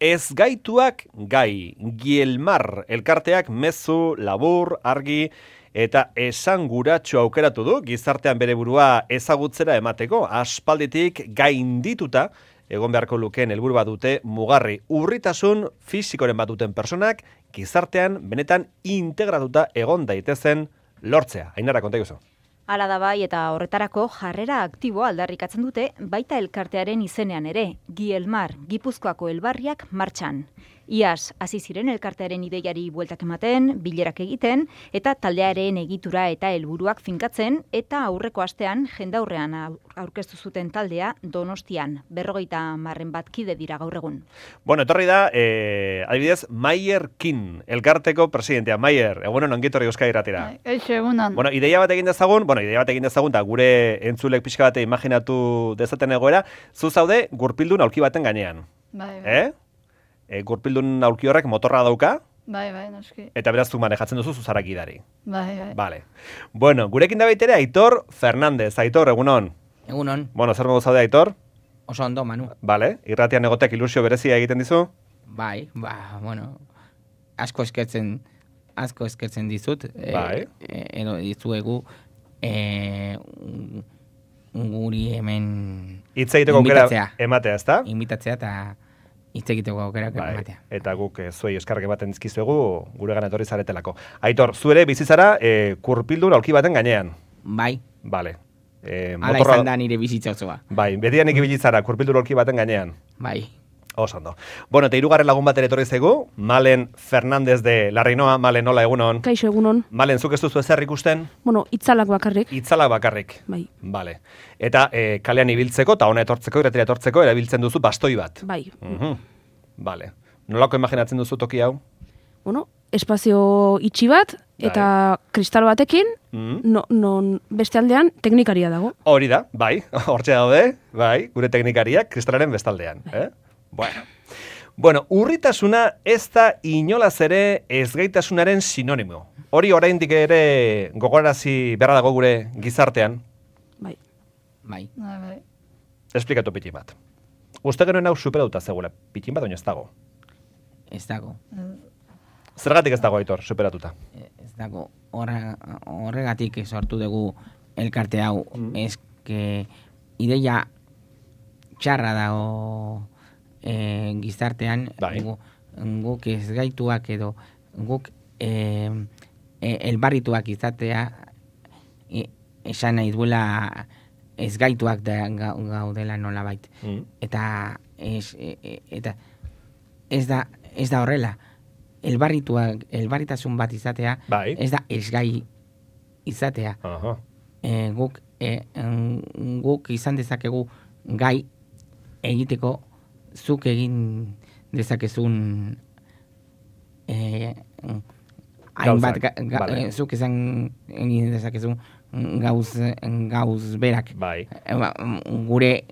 Ez gaituak gai, Gielmar elkarteak mezu, labur, argi eta esanguratsu aukeratu du gizartean bere burua ezagutzera emateko. Aspalditik gaindituta egon beharko lukeen helburu bat dute mugarri urritasun fisikoren bat duten personak gizartean benetan integratuta egon daitezen lortzea. Ainara, konta iguzu. Hala da bai eta horretarako jarrera aktiboa aldarrikatzen dute baita elkartearen izenean ere, Gielmar, Gipuzkoako elbarriak martxan. Iaz, hasi ziren elkartearen ideiari bueltak ematen, bilerak egiten, eta taldearen egitura eta helburuak finkatzen, eta aurreko astean jendaurrean aurkeztu zuten taldea Donostian, 50 bat kide dira gaur egun. Bueno, etorri da, adibidez, Maier Kin, elkarteko presidentea. Maier, egunon ongitorri Euskadi Irratira. Eixo, egunon. Bueno, ideia bat egin dezagun, eta gure entzulek pixka bat imaginatu dezaten egoera, zu zaude gurpildun aulki baten gainean. Bai. Gurpildun aulki horrek motorra dauka, Bai, noski. eta beraz zu manejatzen duzu zuzarak idari. Bai. Vale. Bueno, gurekin da baitere Aitor Fernandez. Aitor, egunon. Egunon. Bueno, zer modu zaude, Aitor? Oso ondo, Manu. Vale. Irratian egoteak ilusio berezia egiten dizu? Bai, bueno, asko eskertzen dizut. Bai. Edo dizuegu guri hemen Hitz egiteko aukera ematea, ezta? Invitatzea eta hitz egiteko aukera ematea. Eta guk zuei eskarrak ematen dizkizuegu guregana etorri zaretelako. Aitor, zu ere bizizara kurpildun aulki baten gainean. Bai. Vale. Hala izan da nire bizitza osoa. Bai, betianik ibilitzara kurpildun aulki baten gainean. Bai. Oso ondo. Bueno, eta hirugarren lagun bat ere etorri zaigu, Malen Fernandez de Larrinoa. Malen, hola, egunon. Kaixo, egunon. Malen, zuk ez duzu ezer ikusten? Bueno, itzalak bakarrik. Itzalak bakarrik. Bai. Vale. Eta kalean ibiltzeko eta hona etortzeko, irratira etortzeko, erabiltzen duzu bastoi bat. Bai. Vale. Nolako imaginatzen duzu toki hau? Bueno, espazio itxi bat eta kristal batekin, non beste aldean teknikaria dago. Hori da, bai, hortxe daude, bai, gure teknikariak kristalaren bestaldean. Bueno, urritasuna ez da inolaz ere ezgaitasunaren sinonimo. Hori oraindik ere gogorarazi beharra dago gure gizartean. Bai. Esplikatu pitin bat. Uste genuen hau superatuta zegoela, pitin bat, baina ez dago. Ez dago. Zergatik ez dago, Aitor, superatuta? Ez dago. Horregatik sortu dugu elkarte hau. Eske ideia txarra dago gizartean. Guk ez gaituak edo guk elbarrituak izatea esan nahi duela ez gaituak gaudela nolabait. Eta ez da horrela. Elbarritasun bat izatea, ez da ezgai izatea. Guk izan dezakegu gai egiteko zuk egin dezakezun hainbat zuk izan egin dezakezun gauz berak. Gure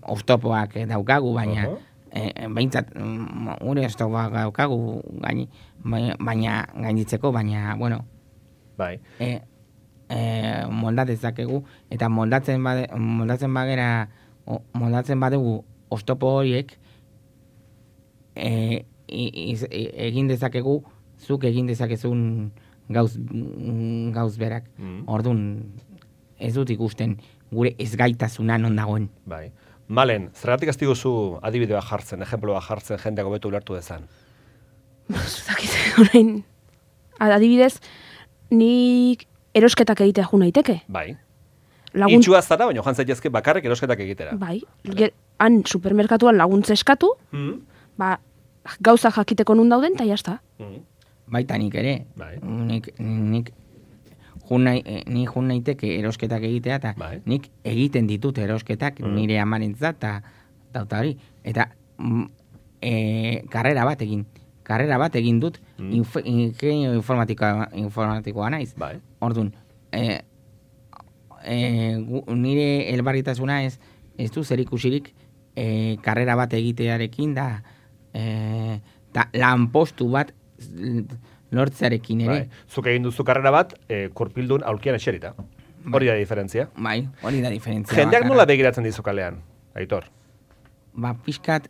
oztopoak daukagu, baina behintzat gure oztopoak daukagu baina gainditzeko, baina, bueno, moldat ezakegu, eta moldatzen badugu oztopo horiek egin dezakegu, zuk egin dezakezun gauz berak. Orduan, ez dut ikusten gure ezgaitasuna non dagoen. Bai. Malen, zergatik azti guzu adibidea jartzen, ejemploa jartzen, jendeak hobeto ulertu dezan? Zakite, orain, adibidez, nik erosketak egitea jo naiteke. Bai. Itxua zara, baina joan zaitezke bakarrik erosketak egitera. Bai. Han supermerkatuan laguntza eskatu, gauza jakiteko nun dauden, eta jazta. Baita nik ere. Nik jun naiteke erosketak egitea, eta nik egiten ditut erosketak nire amarentzat, eta hori. Eta karrera bat egin dut, ingenio informatikoa naiz. Orduan, nire elbarritasuna ez du zer ikusirik karrera bat egitearekin da lanpostu bat lortzearekin ere. Zuk egin duzu karrera bat, kurpildun aulkian eserita. Hori da diferentzia. Bai, hori da diferentzia. Jendeak nola begiratzen dizu kalean, Aitor? pixkat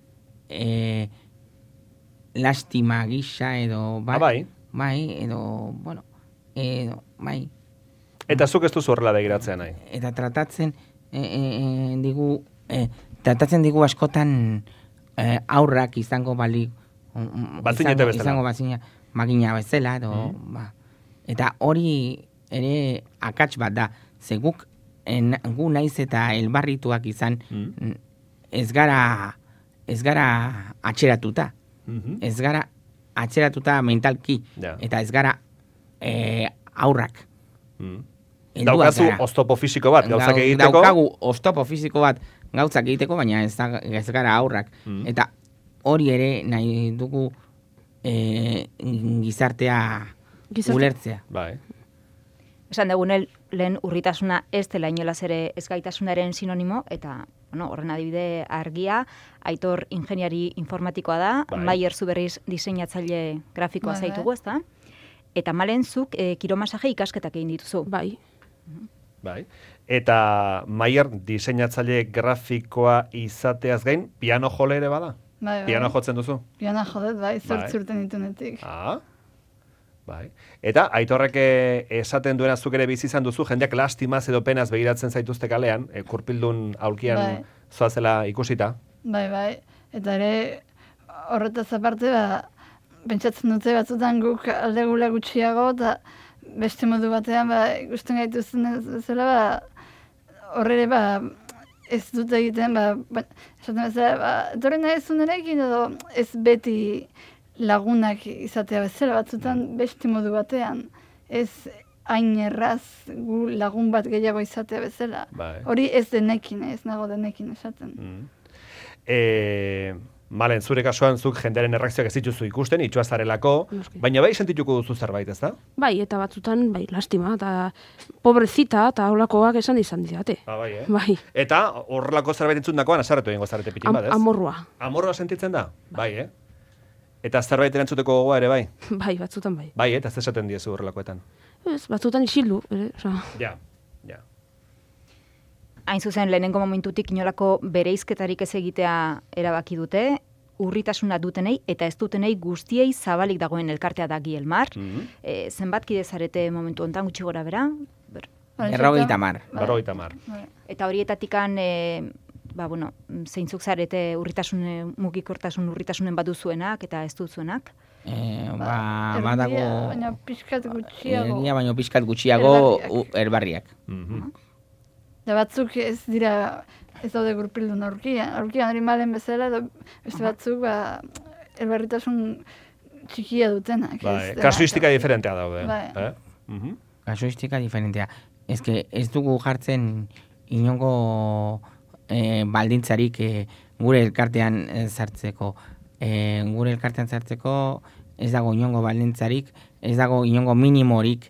lastima gisa edo bai. Bai, edo, bueno, bai. Eta zuk ez duzu horrela begiratzea nahi. Eta tratatzen digu askotan aurrak izango bali Batzinete bezala. Izango bazina magina bezala edo eta hori ere akats bat da. Ze guk gu naiz eta elbarrituak izan ez gara atxeratuta. Ez gara atxeratuta mentalki eta ez gara aurrak. Daukazu oztopo fisiko bat gauzak egiteko? Daukagu oztopo fisiko bat gauzak egiteko, baina ez gara aurrak. Eta hori ere nahi dugu gizartea ulertzea. Bai. Esan dugu lehen urritasuna ez dela inolaz ere ezgaitasunaren sinonimo, eta horren adibide argia, Aitor ingeniari informatikoa da, Maier Zuberriz diseinatzaile grafikoa zaitugu, ezta? Eta Malen zuk kiromasaje ikasketak egin dituzu. Bai. Bai. Eta Maier diseinatzaile grafikoa izateaz gain, piano jole ere bada? Bai. Piano jotzen duzu? Piano jodet, bai, zortzurten ditunetik. Bai. Eta Aitorrek esaten duena zuk ere bizi izan duzu, jendeak lastimaz edo penaz begiratzen zaituzte kalean, kurpildun aulkian zoazela ikusita. Bai. Eta ere horretaz aparte, pentsatzen dute batzutan guk aldegula gutxiago, eta beste modu batean ikusten gaituzten bezala, horre ez dut egiten, esaten bezala, etorri nahi zunerekin edo ez beti lagunak izatea bezala, batzutan beste modu batean, ez hain erraz gu lagun bat gehiago izatea bezala. Hori ez denekin, ez nago denekin esaten. Malen, zure kasuan zuk jendearen erreakzioak ez dituzu ikusten, itxua zarelako, baina bai sentituko duzu zerbait, ez da? Bai, eta batzutan, lastima, eta pobrezita, eta holakoak esan didate. Bai. Eta horrelako zerbait entzundakoan, asarretu egingo zarete pitin bat, ez? Amorrua. Amorrua sentitzen da? Bai, Eta zerbait erantzuteko gogoa ere, bai? Bai, batzutan bai. Bai, eta ez esaten diezu horrelakoetan? Ez, batzutan isildu. Ja. Hain zuzen, lehenengo momentutik inolako bereizketarik ez egitea erabaki dute, urritasuna dutenei eta ez dutenei guztiei zabalik dagoen elkartea da Gielmar. Zenbat kide zarete momentu hontan gutxi gora bera? 50. Eta horietatikan zeintzuk zarete urritasunen baduzuenak eta ez duzuenak? Badago... Baina pixkat gutxiago. Baina pixkat gutxiago erbarriak. Da batzuk ez dira, ez daude gurpildun aurkian hori Malen bezala, edo beste batzuk erbarritasun txikia dutenak. Kasuistika diferentea daude. Kasuistika diferentea. Ez dugu jartzen inongo baldintzarik gure elkartean sartzeko. Gure elkartean sartzeko ez dago inongo baldintzarik, ez dago inongo minimorik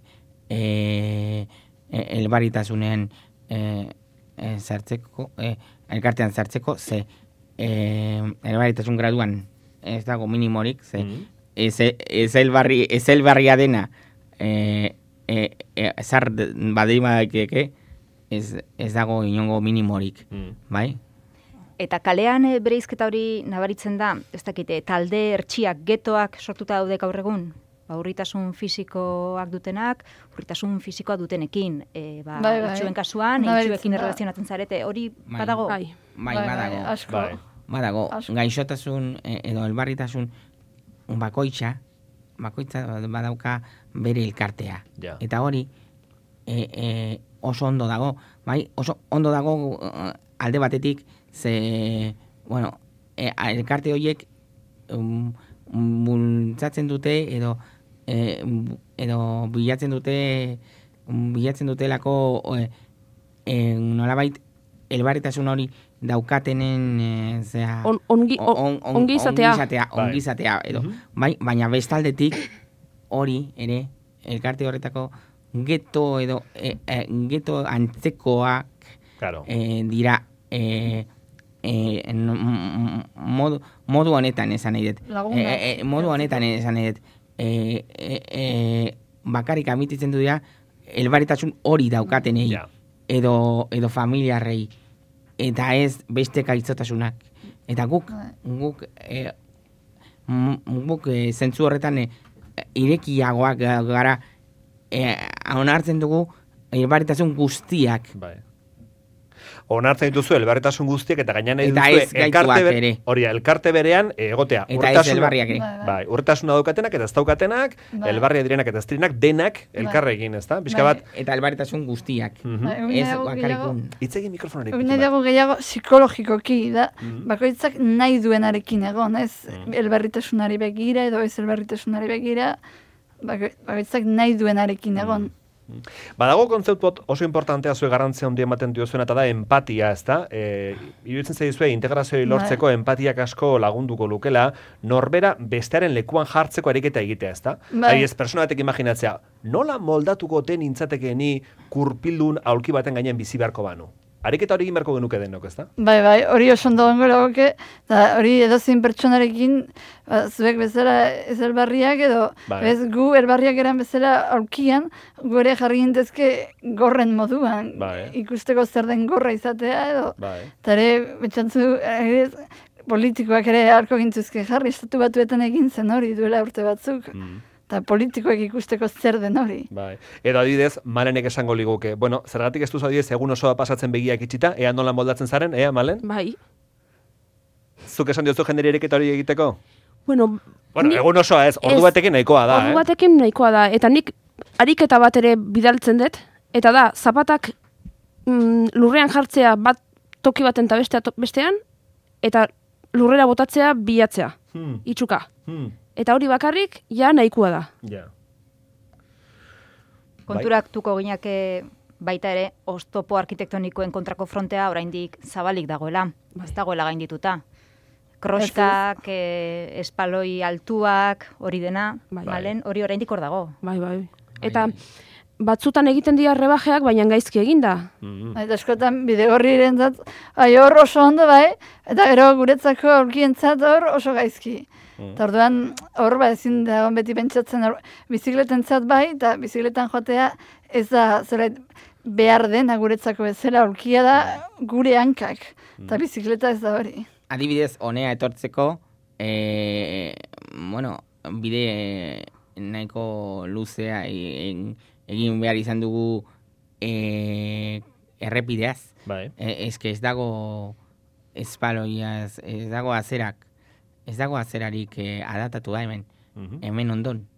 elbarritasunen elkartean sartzeko, ze elbarritasun graduan ez dago minimorik, ze ez elbarria dena zar badeima daikeke, ez dago inongo minimorik, bai? Eta kalean bereizketa hori nabaritzen da, ez dakite, talde hertsiak, getoak sortuta daude gaur egun? Urritasun fisikoak dutenak, urritasun fisikoa dutenekin. Itxuen kasuan, itxuekin erlazionatzen zarete, hori badago? Bai, badago. Badago, gaixotasun edo elbarritasun bakoitza badauka bere elkartea. Eta hori oso ondo dago. Bai, oso ondo dago alde batetik, ze, elkarte horiek bultzatzen dute edo bilatzen dutelako nolabait elbarritasun hori daukatenen ongizatea edo baina bestaldetik hori ere elkarte horretako geto edo geto antzekoak dira modu honetan esan nahi dut. Modu honetan esan nahi dut. Bakarrik amititzen du dira elbarritasun hori daukatenei edo familiarrei eta ez beste gaixotasunak Eta guk zentzu horretan irekiagoak gara, onartzen dugu elbarritasun guztiak. Bai. Onartzen dituzu elbarritasun guztiak eta gaina nahi duzu elkarte berean egotea. Eta ez elbarriak ere. Bai, urtasuna daukatenak eta ez daukatenak, elbarria direnak eta ez direnak denak elkarre egin, ezta? Pixka bat. Eta elbarritasun guztiak. Ez bakarrikun. Itzegin mikrofonari. Egin dago gehiago psikologikoki da, bakoitzak nahi duenarekin egon, ez elbarritasunari begira edo ez elbarritasunari begira, bakoitzak nahi duenarekin egon. Badago kontzeptu oso importantea zuen garrantzia handia ematen diozuena eta da empatia, ezta? Iruditzen zaizue integrazioa lortzeko empatiak asko lagunduko lukela, norbera bestearen lekuan jartzeko ariketa egitea, ezta? Ez persona batek imaginatzea, nola moldatuko ten intzatekeni kurpildun aulki baten gainean bizi beharko banu? Ariketa hori egin beharko genuke denok, ezta? Bai, hori oso ondo gongo lagoke, eta hori edozein pertsonarekin, zuek bezala ez elbarriak edo, ez gu elbarriak eran bezala aurkian, gu ere jarri gintezke gorren moduan, ikusteko zer den gorra izatea edo, eta ere, betxantzu, politikoak ere harko gintuzke jarri, estatu batuetan egin zen hori duela urte batzuk. Eta politikoek ikusteko zer den hori. Bai. Edo adibidez, Malenek esango liguke. Bueno, zergatik ez duz adibidez, egun osoa pasatzen begiak itxita, ea nola moldatzen zaren, Malen? Bai. Zuk esan diozu jenderi eriketa hori egiteko? Bueno, egun osoa ez, ordu batekin nahikoa da, Ordu batekin nahikoa da, eta nik ariketa bat ere bidaltzen dut, eta da, zapatak lurrean jartzea bat toki baten eta bestean, eta lurrera botatzea bilatzea, itxuka. Eta hori bakarrik, ja nahikoa da. Ja. Konturaktuko ginake baita ere, oztopo arkitektonikoen kontrako frontea oraindik zabalik dagoela. Ez dagoela gaindituta. Kroskak, espaloi altuak, hori dena, Malen, hori oraindik hor dago. Bai. Eta batzutan egiten dira rebajeak, baina gaizki eginda. Eta eskotan bidegorriren zat, hor oso ondo bai, eta gero guretzako aurkientzat hor oso gaizki. Eta orduan, hor ezin da beti pentsatzen bizikletentzat bai, eta bizikletan joatea ez da behar dena guretzako bezala, aurkia da gure hankak, eta bizikleta ez da hori. Adibidez, honea etortzeko, bide nahiko luzea egin behar izan dugu errepideaz. Ez dago espaloiaz, ez dago azerak. Ez dago azerarik adatatu da hemen ondon,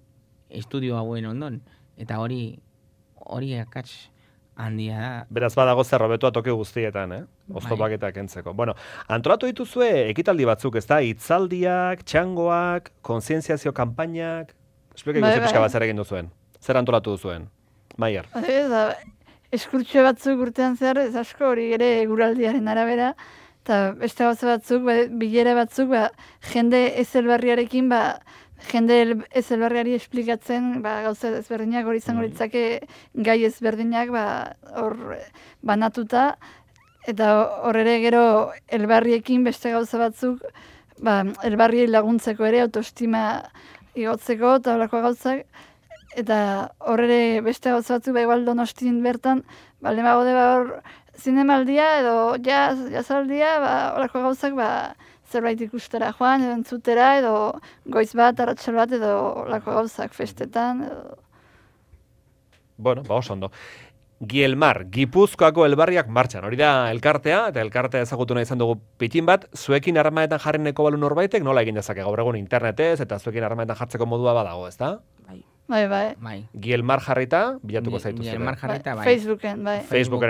estudio hauen ondon, eta hori akats handia da. Beraz badago zerrobetua toki guztietan, oztopak eta kentzeko. Bueno, antolatu dituzue ekitaldi batzuk, ez da, hitzaldiak, txangoak, kontzientziazio kanpainak, esplika ikusi pixka bat zer egin duzuen, zer antolatu duzuen, Maier? Eskurtxo batzuk urtean zehar, ez asko hori ere guraldiaren arabera, eta beste gauza batzuk, bilera batzuk, jende ezelbarriarekin, jende ezelbarriari esplikatzen, gauza ezberdinak hori izango litzake gai ezberdinak hor banatuta, eta hor ere gero elbarriekin beste gauza batzuk, elbarriei laguntzeko ere, autoestima igotzeko eta horako gauzak, eta hor ere beste gauza batzuk, igual Donostin bertan, lemago de hor, zinemaldia edo jazaldia, horako gauzak zerbait ikustera joan, edo entzutera, edo goiz bat, arratsal bat, edo horako gauzak festetan. Bueno, oso ondo. Gielmar, Gipuzkoako elbarriak martxan. Hori da elkartea, eta elkartea ezagutu nahi izan dugu pitin bat, zuekin harremanetan jarreneko balu norbaitek, nola egin dezake gaur egun internetez, eta zuekin harremanetan jartzeko modua badago, ezta? Bai. Gielmar jarrita, bilatuko zaitu zure. Gielmar jarrita, bai. Facebooken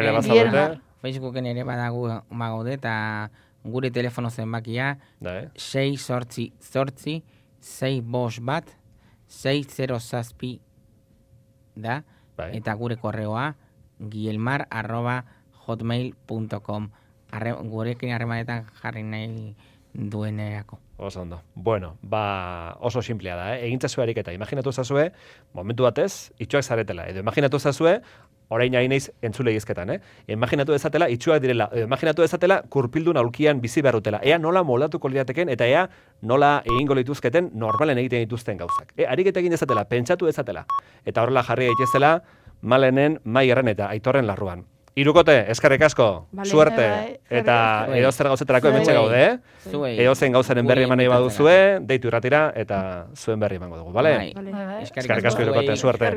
ere bazaude. Facebooken ere bagaude, eta gure telefono zenbakia 688-601-607 da, eta gure korreoa gielmar@hotmail.com. Gurekin harremanetan jarri nahi duenerako. Oso ondo. Bueno, oso simplea da, egintzazu ariketa. Imaginatu ezazue, momentu batez, itxuak zaretela. Edo imaginatu ezazue, orain hain naiz entzule izketan, Imaginatu ezatela, itxuak direla. Imaginatu ezatela, kurpildun aulkian bizi beharutela. Ea nola moldatuko lirateken, eta ea nola egingo lituzketen normalen egiten dituzten gauzak. Ariketa egin ezatela, pentsatu ezatela. Eta horrela jarri daitezela, Malenen, Maierren eta Aitorren larruan. Irukote, eskerrik asko, suerte, eta edozer gauzetarako hementxe gaude, edozen gauzaren berri eman nahi baduzue, deitu irratira, eta zuen berri emango dugu, bale? Eskerrik asko Irukote, suerte.